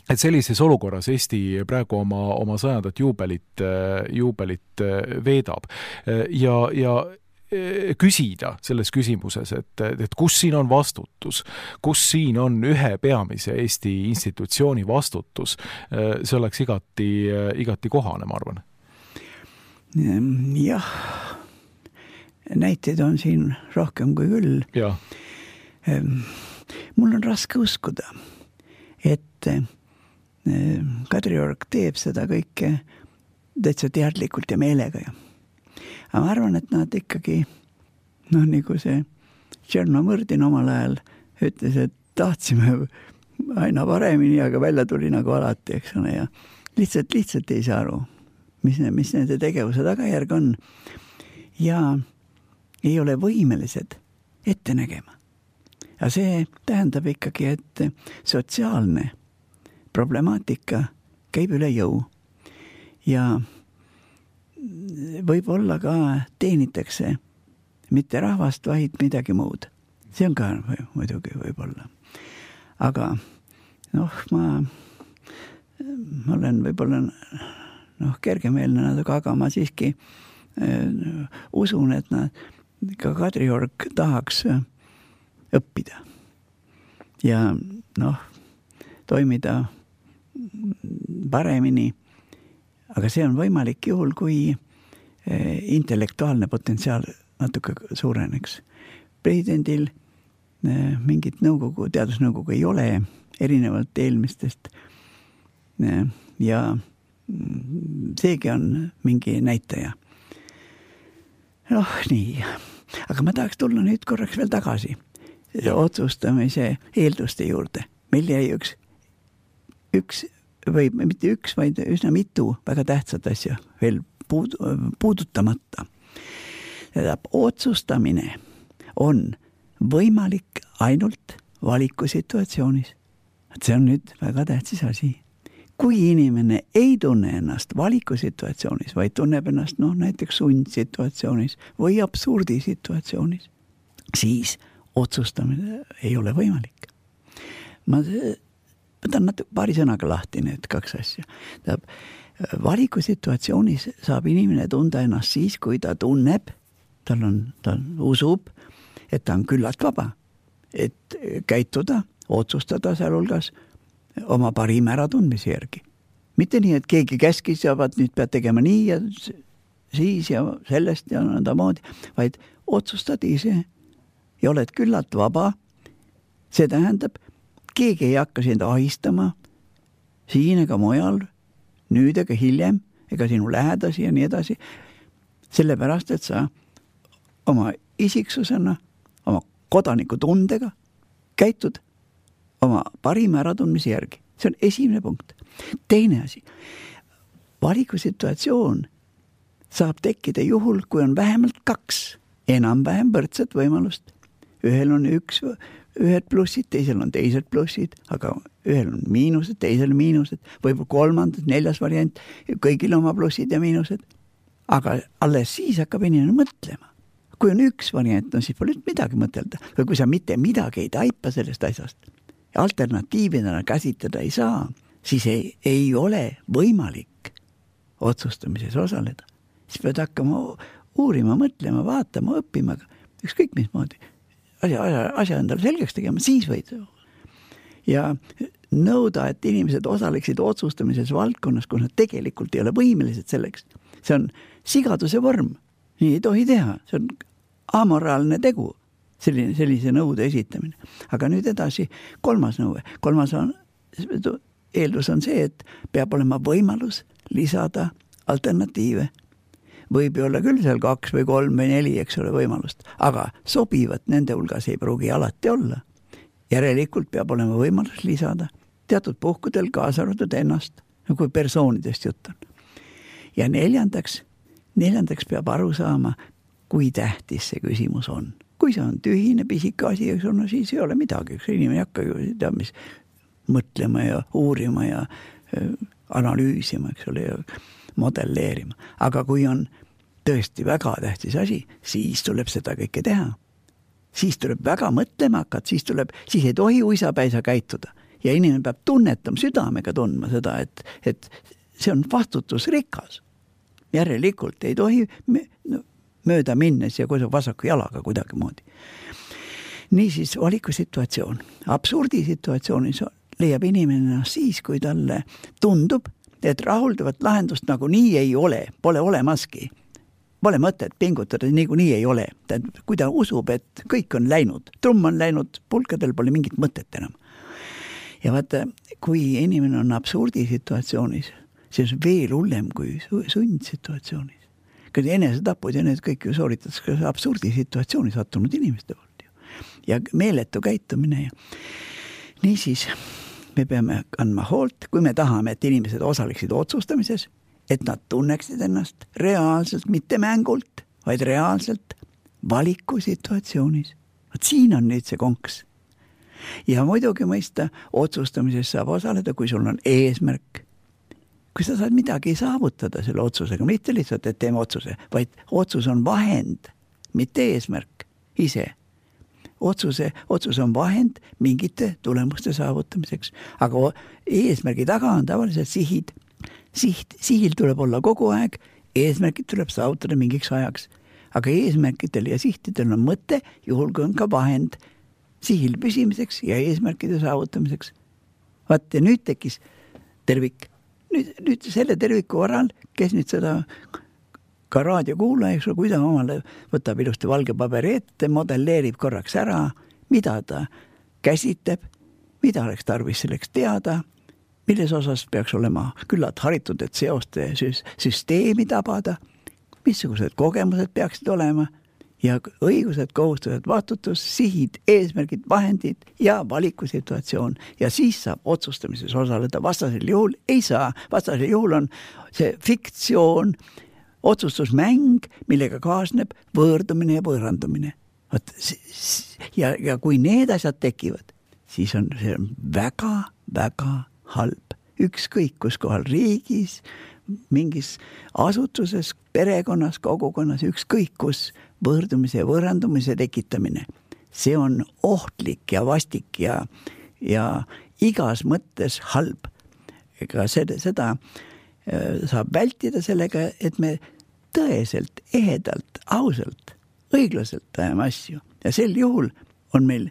sellises olukorras Eesti praegu oma 100. juubelit veedab ja küsida selles küsimuses, et kus siin on vastutus, kus siin on ühe peamise Eesti institutsiooni vastutus, see oleks igati kohane, ma arvan. Jah, näiteid on siin rohkem kui küll. Ja. Mul on raske uskuda, et Kadriorg teeb seda kõike täitsa teadlikult ja meelega. Aga ma arvan, et nad ikkagi, nagu see Tšernomõrdin omal ajal ütles, et tahtsime aina paremini, aga välja tuli nagu alati, eks ole, ja lihtsalt ei saa aru, mis nende tegevuse tagajärg on ja ei ole võimelised ette nägema. Ja see tähendab ikkagi, et sotsiaalne problemaatika käib üle jõu ja võib-olla ka teenitakse mitte rahvast, vaid midagi muud. See on ka muidugi võib-olla. Aga ma olen võib-olla kergemeelne natuke, aga ma siiski usun, et ka Kadriorg tahaks õppida ja toimida paremini, aga see on võimalik juhul, kui intellektuaalne potentsiaal natuke suureneks. Presidendil mingit teadusnõukogu ei ole, erinevalt eelmistest ja seegi on mingi näitaja. Nii, aga ma tahaks tulla nüüd korraks veel tagasi otsustamise eelduste juurde. Meil jäi üks või mitte üks, vaid üsna mitu väga tähtsat asja veel puudutamata. Otsustamine on võimalik ainult valikusituatsioonis. See on nüüd väga tähtis asi. Kui inimene ei tunne ennast valikusituatsioonis, vaid tunneb ennast näiteks sundsituatsioonis või absurdisituatsioonis, siis otsustamine ei ole võimalik. Ma võtan paari sõnaga lahti need kaks asja. Valikusituatsioonis saab inimene tunda ennast siis, kui ta tunneb, ta usub, et ta on küllalt vaba, et käituda, otsustada sealhulgas oma parima äratundmise järgi. Mitte nii, et keegi käskis ja nüüd pead tegema nii ja siis ja sellest ja nõnda moodi, vaid otsustad ise ja oled küllalt vaba. See tähendab, keegi ei hakka sind ahistama siin ega mujal, nüüd ega hiljem, ega sinu lähedasi ja nii edasi. Sellepärast, et sa oma isiksusena, oma kodanikutundega käitud oma parima äratundmise järgi. See on esimene punkt. Teine asi, valikusituatsioon saab tekkida juhul, kui on vähemalt 2 enam-vähem võrdset võimalust. Ühel on ühed plussid, teisel on teised plussid, aga ühel on miinused, teisel miinused, võib-olla 3., 4. variant, kõigil oma plussid ja miinused. Aga alles siis hakkab inimene mõtlema. Kui on 1 variant, no siis pole midagi mõtelda. Või kui sa mitte midagi ei taipa sellest asjast, alternatiividena käsitleda ei saa, siis ei ole võimalik otsustamises osaleda. Siis pead hakkama uurima, mõtlema, vaatama, õppima, ükskõik mismoodi. Asja endale selgeks tegema, siis võid. Ja nõuda, et inimesed osaleksid otsustamises valdkonnas, kus nad tegelikult ei ole võimelised selleks. See on sigaduse vorm. Nii ei tohi teha. See on amoraalne tegu, sellise nõude esitamine. Aga nüüd edasi 3. nõue. 3. eeldus on see, et peab olema võimalus lisada alternatiive. Võib olla küll seal 2 või 3 või 4, eks ole, võimalust, aga sobivat nende hulgas ei pruugi alati olla. Järelikult peab olema võimalus lisada teatud puhkudel kaasa arvatud ennast, kui persoonidest jutt on. Ja neljandaks peab aru saama, kui tähtis see küsimus on. Kui see on tühine pisika asi, no siis ei ole midagi, eks inimene ei hakka ju mis mõtlema ja uurima ja analüüsima, eks ole, ja modelleerima. Aga kui on tõesti väga tähtis asi, siis tuleb seda kõike teha. Siis tuleb väga mõtlema hakata, siis ei tohi uisapäisa käituda. Ja inimene peab tunnetama, südamega tundma seda, et see on vastutusrikas. Järelikult ei tohi mööda minnes ja vasaku jalaga kuidagi moodi. Niisiis valikusituatsioon. Absurdisituatsioonis leiab inimene siis, kui talle tundub, et rahuldavat lahendust nagu nii ei ole, pole olemaski. Pole mõtet pingutada, nii ei ole. Kui ta usub, et kõik on läinud, trumm on läinud, pulkadel pole mingit mõtet enam. Ja vaata, kui inimene on absurdisituatsioonis, see on veel hullem kui sundsituatsioonis. Kui enesetapud ja need kõik ju sooritatakse absurdisituatsiooni sattunud inimeste poolt. Ja meeletu käitumine. Niisiis, me peame andma hoolt, kui me tahame, et inimesed osaleksid otsustamises, et nad tunneksid ennast reaalselt, mitte mängult, vaid reaalselt valikusituatsioonis. Siin on nüüd see konks. Ja muidugi mõista, otsustamises saab osaleda, kui sul on eesmärk. Kui sa saad midagi saavutada selle otsusega, mitte lihtsalt, et teeme otsuse, vaid otsus on vahend, mitte eesmärk ise. Otsus on vahend mingite tulemuste saavutamiseks, aga eesmärgi taga on tavaliselt sihid. Sihil tuleb olla kogu aeg, eesmärgid tuleb saavutada mingiks ajaks, aga eesmärkidel ja sihtidel on mõte, juhul kui on ka vahend sihil püsimiseks ja eesmärkide saavutamiseks. Vaat ja nüüd tekkis tervik. Nüüd selle terviku varal, kes nüüd seda ka raadiokuulaja, kui ta omale võtab ilusti valge paberi ette, modelleerib korraks ära, mida ta käsitleb, mida oleks tarvis selleks teada, milles osas peaks olema küllalt haritud, et seoste süsteemi tabada, missugused kogemused peaksid olema ja õigused, kohustused, vastutus, sihid, eesmärgid, vahendid ja valikusituatsioon. Ja siis saab otsustamises osaleda, vastasel juhul ei saa. Vastasel juhul on see fiktsioon, otsustusmäng, millega kaasneb võõrdumine ja võõrandumine. Ja kui need asjad tekivad, siis on see väga, väga halb. Ükskõik kus kohal riigis, mingis asutuses, perekonnas, kogukonnas, ükskõik kus võõrdumise ja võõrandumise tekitamine. See on ohtlik ja vastik ja igas mõttes halb. Ega seda saab vältida sellega, et me tõeselt, ehedalt, ausalt, õiglaselt ajame asju. Ja sel juhul on meil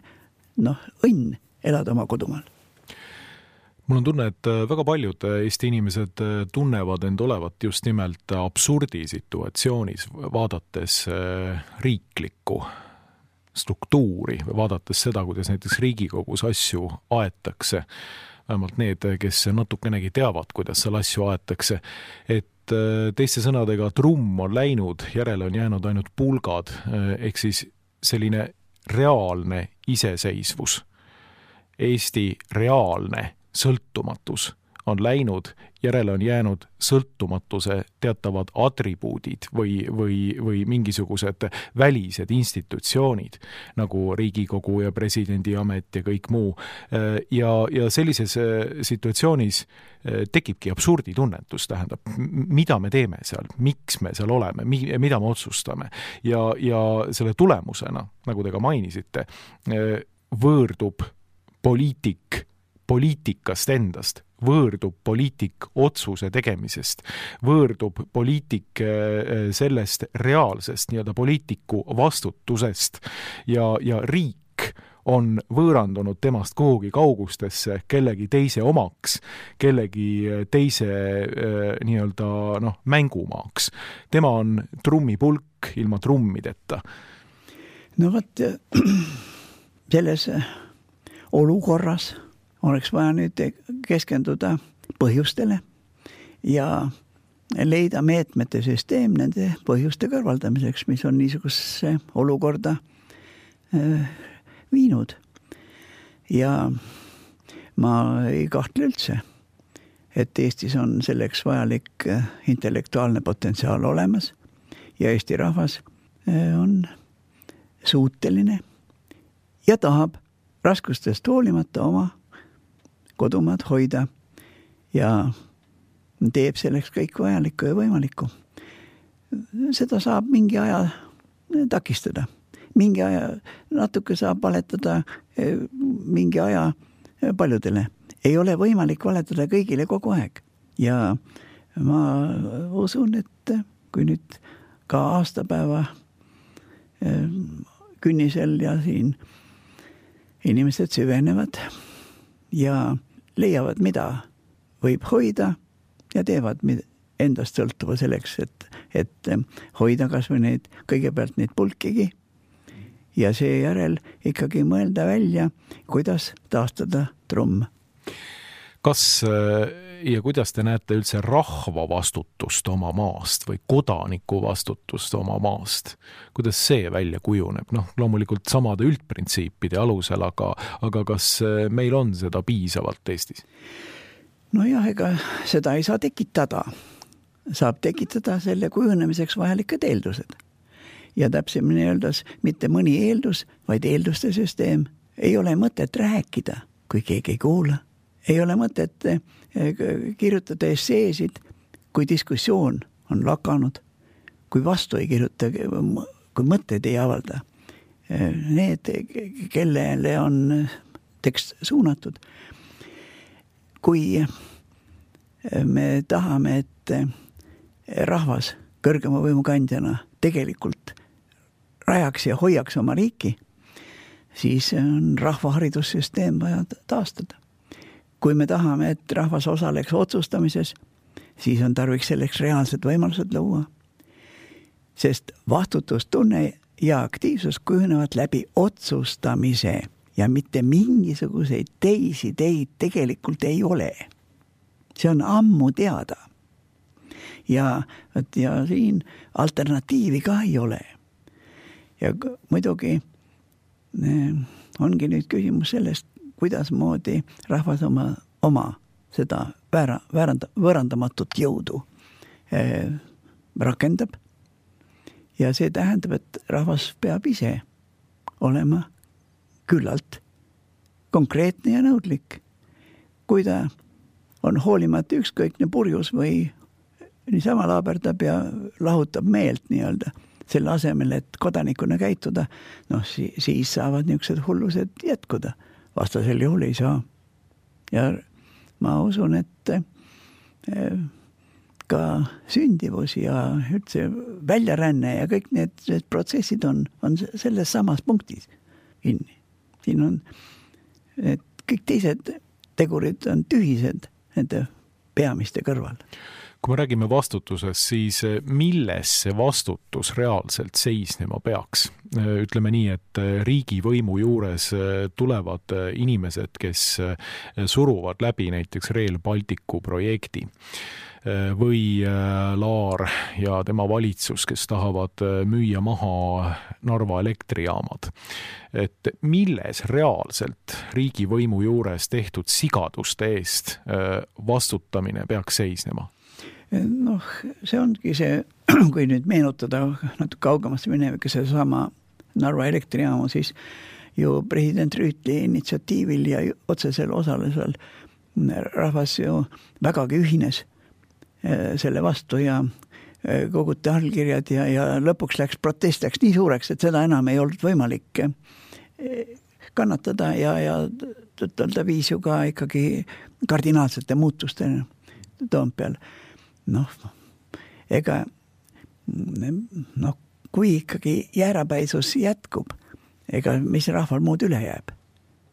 õnn elada oma kodumaal. Mul on tunne, et väga paljud Eesti inimesed tunnevad end olevat just nimelt absurdisituatsioonis, vaadates riiklikku struktuuri või vaadates seda, kuidas näiteks Riigikogus asju aetakse, vähemalt need, kes natukenegi teavad, kuidas seal asju aetakse, et teiste sõnadega trumm on läinud, järele on jäänud ainult pulgad, ehk siis selline reaalne iseseisvus, Eesti reaalne sõltumatus on läinud, järele on jäänud sõltumatuse teatavad atribuudid või mingisugused välised institutsioonid, nagu Riigikogu ja presidendi amet ja kõik muu. Ja sellises situatsioonis tekibki absurditunnetus, tähendab, mida me teeme seal, miks me seal oleme, mida me otsustame. Ja selle tulemusena, nagu te ka mainisite, võõrdub poliitikast endast, võõrdub poliitik otsuse tegemisest, võõrdub poliitik sellest reaalsest nii-öelda poliitiku vastutusest ja riik on võõrandunud temast kuhugi kaugustesse kellegi teise omaks, kellegi teise nii-öelda mängumaaks. Tema on trummipulk ilma trummideta. No vot, selles olukorras oleks vaja nüüd keskenduda põhjustele ja leida meetmete süsteem nende põhjuste kõrvaldamiseks, mis on niisugusesse olukorda viinud. Ja ma ei kahtle üldse, et Eestis on selleks vajalik intellektuaalne potentsiaal olemas ja Eesti rahvas on suuteline ja tahab raskustest hoolimata oma kodumaad hoida ja teeb selleks kõik vajalikku ja võimalikku. Seda saab mingi aja takistada. Mingi aja natuke saab valetada mingi aja paljudele. Ei ole võimalik valetada kõigile kogu aeg. Ja ma usun, et kui nüüd ka aastapäeva künnisel ja siin inimesed süvenevad ja leiavad, mida võib hoida ja teevad endast sõltuva selleks, et hoida kas või kõigepealt neid pulkigi ja seejärel ikkagi mõelda välja, kuidas taastada trumm. Kas ja kuidas te näete üldse rahva vastutust oma maast või kodaniku vastutust oma maast? Kuidas see välja kujuneb? Loomulikult samade üldprintsiipide alusel, aga kas meil on seda piisavalt Eestis? Nojah, ega seda ei saa tekitada. Saab tekitada selle kujunemiseks vajalikud eeldused. Ja täpsemini öeldes mitte mõni eeldus, vaid eelduste süsteem. Ei ole mõtet rääkida, kui keegi ei kuula. Ei ole mõtet kirjutada esseesid, kui diskussioon on lakanud, kui vastu ei kirjuta, kui mõtted ei avalda. Need, kellele on tekst suunatud. Kui me tahame, et rahvas kõrgema võimukandjana tegelikult rajaks ja hoiaks oma riiki, siis on rahvaharidussüsteem vaja taastada. Kui me tahame, et rahvas osaleks otsustamises, siis on tarviks selleks reaalsed võimalused luua. Sest vastutustunne ja aktiivsus kujunevad läbi otsustamise ja mitte mingisuguseid teisi teid tegelikult ei ole. See on ammu teada. Ja siin alternatiivi ka ei ole. Ja muidugi ongi nüüd küsimus sellest, kuidas moodi rahvas oma seda võõrandamatut jõudu rakendab. Ja see tähendab, et rahvas peab ise olema küllalt konkreetne ja nõudlik. Kui ta on hoolimata ükskõikne purjus või niisama laaberdab ja lahutab meelt nii-öelda, selle asemel, et kodanikuna käituda, siis saavad niisugused hullused jätkuda. Vastasel juhul ei saa. Ja ma usun, et ka sündivus ja üldse väljaränne ja kõik need protsessid on selles samas punktis kinni. Siin on kõik teised tegurid on tühised nende peamiste kõrval. Kui me räägime vastutusest, siis milles see vastutus reaalselt seisnema peaks? Ütleme nii, et riigivõimu juures tulevad inimesed, kes suruvad läbi näiteks Rail Balticu projekti. või Laar ja tema valitsus, kes tahavad müüa maha Narva elektrijaamad. Et milles reaalselt riigivõimu juures tehtud sigaduste eest vastutamine peaks seisnema? Noh, see ongi see, kui nüüd meenutada natuke kaugemasse minevika seesama Narva elektrijaamu, siis ju president Rüütli initsiatiivil ja otsesel osalusel rahvas ju vägagi ühines selle vastu ja koguti allkirjad ja lõpuks protest läks nii suureks, et seda enam ei olnud võimalik kannatada ja tõttelda viis ju ka ikkagi kardinaalsete muutusteni Toompeal. Kui ikkagi jäärapäisus jätkub, mis rahval muud üle jääb,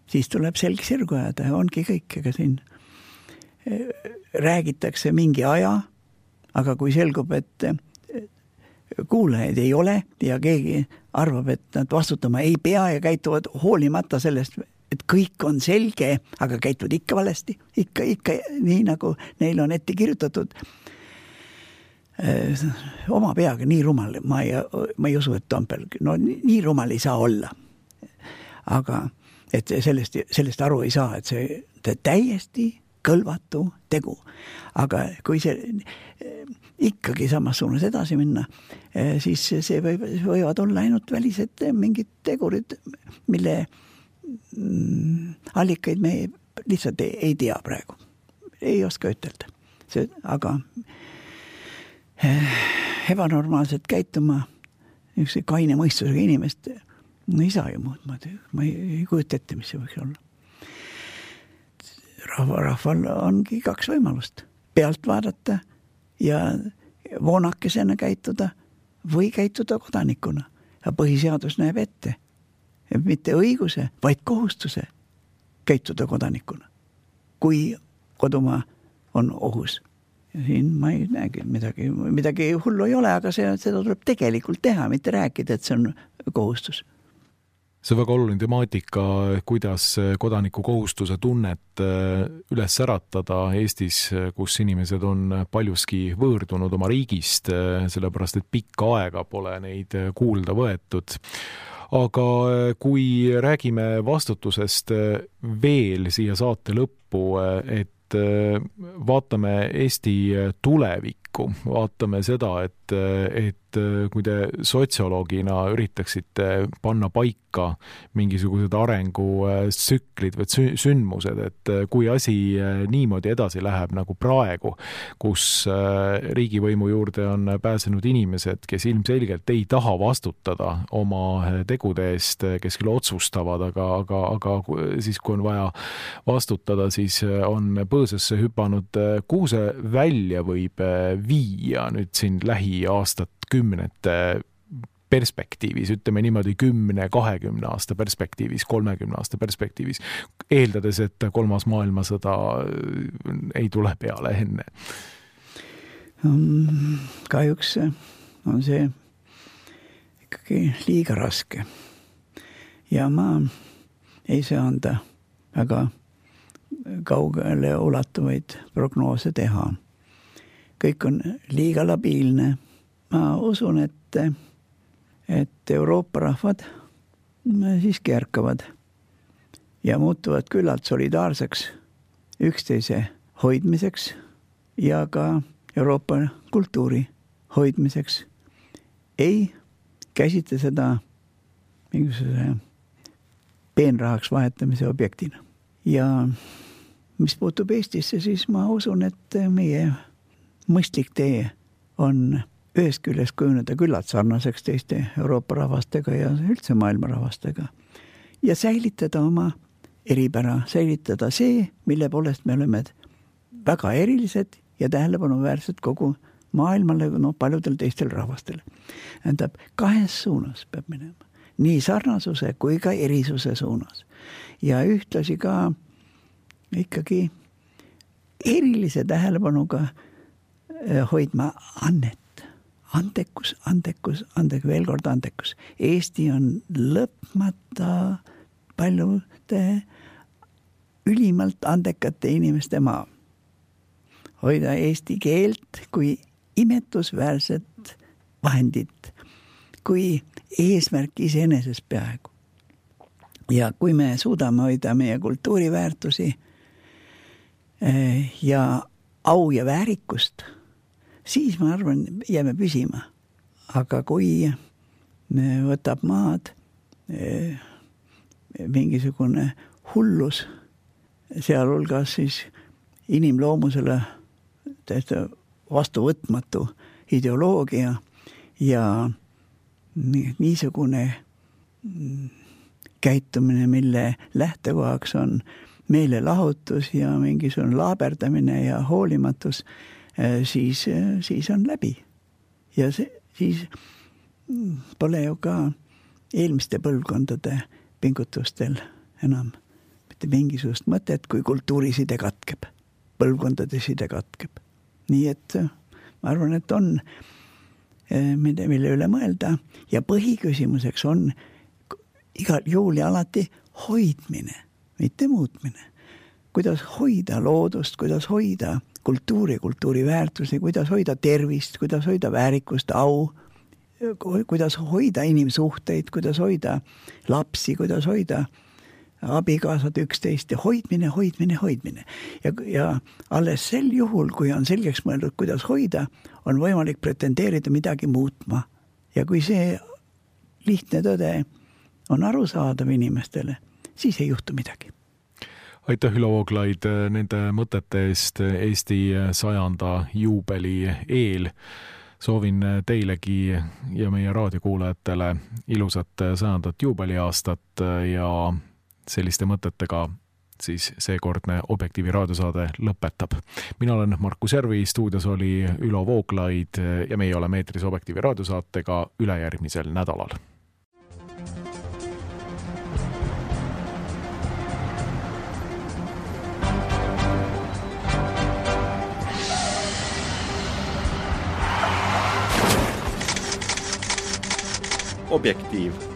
siis tuleb selg sirgu ajada ja ongi kõik, ega siin räägitakse mingi aja, aga kui selgub, et kuulajaid ei ole ja keegi arvab, et nad vastutama ei pea ja käituvad hoolimata sellest, et kõik on selge, aga käituvad ikka valesti, ikka nii nagu neil on ette kirjutatud, oma peaga nii rumal, ma ei usu, et Toompeal, nii rumal ei saa olla. Aga et sellest aru ei saa, et see täiesti kõlvatu tegu. Aga kui see ikkagi samas suunas edasi minna, siis see võivad olla ainult välised mingid tegurid, mille allikaid me lihtsalt ei tea praegu. Ei oska ütelda. Aga ebanormaalselt käituma üks kaine mõistusega inimest ei saa ju muud. Ma ei kujuta ette, mis see võiks olla. Rahval ongi kaks võimalust. Pealt vaadata ja voonakesena käituda või käituda kodanikuna. Ja põhiseadus näeb ette. Mitte õiguse, vaid kohustuse käituda kodanikuna. Kui kodumaa on ohus. Ja siin ma ei näegi midagi hullu ei ole, aga seda tuleb tegelikult teha, mitte rääkida, et see on kohustus. See on väga oluline temaatika, kuidas kodaniku kohustuse tunnet üles äratada Eestis, kus inimesed on paljuski võõrdunud oma riigist, sellepärast et pikka aega pole neid kuulda võetud. Aga kui räägime vastutusest veel siia saate lõppu, et vaatame Eesti tulevikku, vaatame seda, et kui te sotsioloogina üritaksite panna paika mingisugused arengutsüklid või sündmused, et kui asi niimoodi edasi läheb nagu praegu, kus riigivõimu juurde on pääsenud inimesed, kes ilmselgelt ei taha vastutada oma tegude eest, kes küll otsustavad, aga siis kui on vaja vastutada, siis on põõsasse hüpanud, kuhu see välja võib viia nüüd siin lähiaastat kümnete perspektiivis, ütleme niimoodi 10-20 aasta perspektiivis, 30 aasta perspektiivis, eeldades, et kolmas maailmasõda ei tule peale enne? Kahjuks on see ikkagi liiga raske. Ja ma ei saa anda väga kaugele ulatuvaid prognoose teha. Kõik on liiga labiilne. Ma usun, et Euroopa rahvad siiski ärkavad ja muutuvad küllalt solidaarseks üksteise hoidmiseks ja ka Euroopa kultuuri hoidmiseks. Ei käsitle seda mingisuguse peenrahaks vahetamise objektina. Ja mis puutub Eestisse, siis ma usun, et meie mõistlik tee on ühest küljest kujuneda küllalt sarnaseks teiste Euroopa rahvastega ja üldse maailma rahvastega. Ja säilitada oma eripära, säilitada see, mille poolest me oleme väga erilised ja tähelepanuväärsed kogu maailmale, paljudel teistel rahvastel. Tähendab, kahes suunas peab minema. Nii sarnasuse kui ka erisuse suunas. Ja ühtlasi ka ikkagi erilise tähelepanuga hoidma annet. Antekus, veel kord antekus. Eesti on lõpmata paljude ülimalt andekate inimeste maa. hoida eesti keelt kui imetlusväärset vahendit, kui eesmärk iseeneses peaaegu. Ja kui me suudame hoida meie kultuuriväärtusi ja au ja väärikust, siis ma arvan, jääme püsima. Aga kui võtab maad mingisugune hullus, sealhulgas siis inimloomusele täiesti vastuvõtmatu ideoloogia ja niisugune käitumine, mille lähtekohaks on meelelahutus ja mingisugune laaberdamine ja hoolimatus, siis on läbi. Ja siis pole ju ka eelmiste põlvkondade pingutustel enam mitte mingisugust mõtet, kui kultuuriside katkeb, põlvkondade side katkeb. Nii et ma arvan, et on mille üle mõelda ja põhiküsimuseks on igal juhul ja alati hoidmine, mitte muutmine. Kuidas hoida loodust, kuidas hoida kultuuri, kultuuriväärtusi, kuidas hoida tervist, kuidas hoida väärikust, au, kuidas hoida inimsuhteid, kuidas hoida lapsi, kuidas hoida abikaasad üksteist ja hoidmine. Ja alles sel juhul, kui on selgeks mõeldud, kuidas hoida, on võimalik pretendeerida midagi muutma. Ja kui see lihtne tõde on arusaadav inimestele, siis ei juhtu midagi. Aitäh, Ülo Vooglaid, nende mõtete eest Eesti 100. juubeli eel. Soovin teilegi ja meie raadiokuulajatele ilusat 100. juubeliaastat ja selliste mõtetega siis seekordne Objektiivi raadiosaade lõpetab. Mina olen Markus Järvi, stuudios oli Ülo Vooglaid ja meie oleme eetris Objektiivi raadiosaatega ülejärgmisel nädalal. Objektiiv.